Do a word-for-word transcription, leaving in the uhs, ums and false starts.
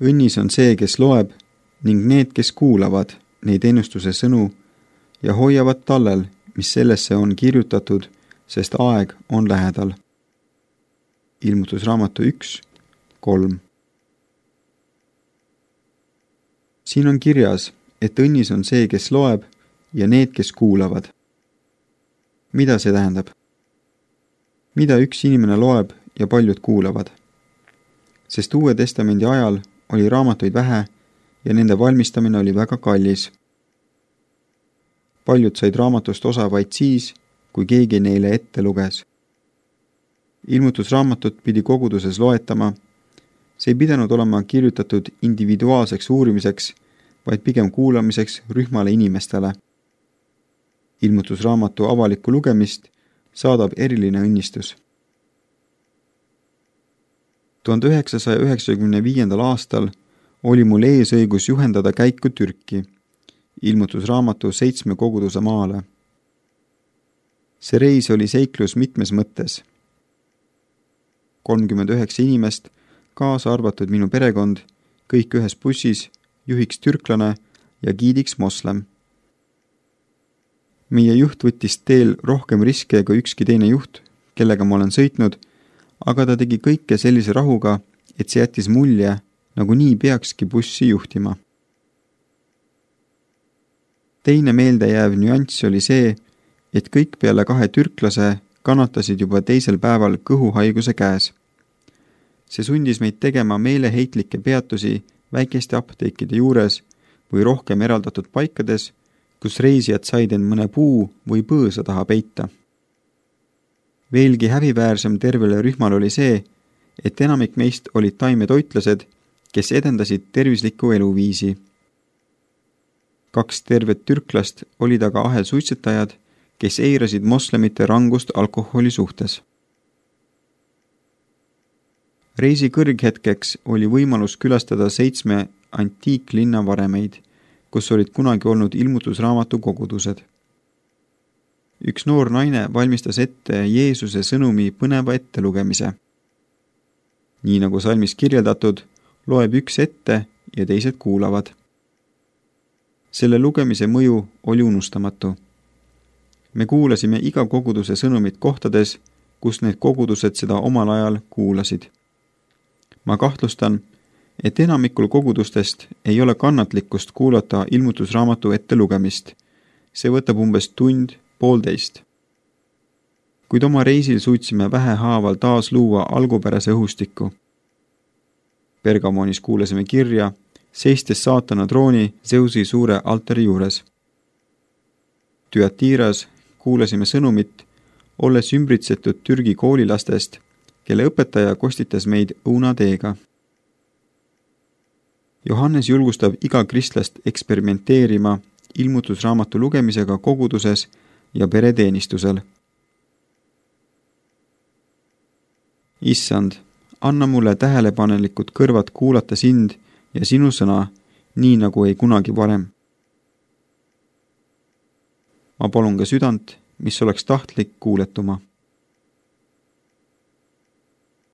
Õnnis on see, kes loeb, ning need, kes kuulavad neid ennustuse sõnu ja hoiavad tallel, mis sellesse on kirjutatud, sest aeg on lähedal. Ilmutusraamatu üks, kolm. Siin on kirjas, et õnnis on see, kes loeb ja need, kes kuulavad. Mida see tähendab? Mida üks inimene loeb ja paljud kuulavad? Sest Uue Testamendi ajal oli raamatuid vähe ja nende valmistamine oli väga kallis. Paljud said raamatust osa vaid siis, kui keegi neile ette luges. Ilmutusraamatut pidi koguduses loetama. See ei pidanud olema kirjutatud individuaalseks uurimiseks, vaid pigem kuulamiseks rühmale inimestele. Ilmutusraamatu avalikku lugemist saadab eriline õnnistus. tuhande üheksasaja üheksakümne viiendal aastal oli mul eesõigus juhendada käiku Türki, ilmutusraamatu seitsme koguduse maale. See reis oli seiklus mitmes mõttes. kolmkümmend üheksa inimest, kaasa arvatud minu perekond, kõik ühes bussis, juhiks türklane ja giidiks moslem. Meie juht võttis teel rohkem riske kui ükski teine juht, kellega ma olen sõitnud, aga ta tegi kõike sellise rahuga, et see jättis mulje, nagu nii peakski bussi juhtima. Teine meeldejääv nüanss oli see, et kõik peale kahe türklase kannatasid juba teisel päeval kõhuhaiguse käes. See sundis meid tegema meeleheitlikke peatusi väikeste apteekide juures või rohkem eraldatud paikades, kus reisijad said end mõne puu või põõsa taha peita. Veelgi häbiväärsem tervele rühmal oli see, et enamik meist olid taimetoitlased, kes edendasid tervislikku eluviisi. Kaks tervet türklast olid aga ahelsuitsetajad, kes eirasid moslemite rangust alkoholi suhtes. Reisi kõrghetkeks oli võimalus külastada seitsme antiiklinna varemeid, kus olid kunagi olnud ilmutusraamatu kogudused. Üks noor naine valmistas ette Jeesuse sõnumi põneva ettelugemise. Nii nagu salmis kirjeldatud, loeb üks ette ja teised kuulavad. Selle lugemise mõju oli unustamatu. Me kuulasime iga koguduse sõnumit kohtades, kus need kogudused seda omal ajal kuulasid. Ma kahtlustan, et enamikul kogudustest ei ole kannatlikkust kuulata ilmutusraamatu ette lugemist. See võtab umbes tund, poolteist. Kuid oma reisil suutsime vähehaaval taas luua algupärase õhustikku. Pergamonis kuulasime kirja, seistes saatana trooni Zeusi suure altari juures. Tüatiras kuulasime sõnumit, olles ümbritsetud Türgi koolilastest, kelle õpetaja kostitas meid õunateega. Johannes julgustab iga kristlast eksperimenteerima ilmutusraamatu lugemisega koguduses ja pereteenistusel. Issand, anna mulle tähelepanelikud kõrvad kuulata sind ja sinu sõna, nii nagu ei kunagi varem. Ma palun ka südant, mis oleks tahtlik kuuletuma.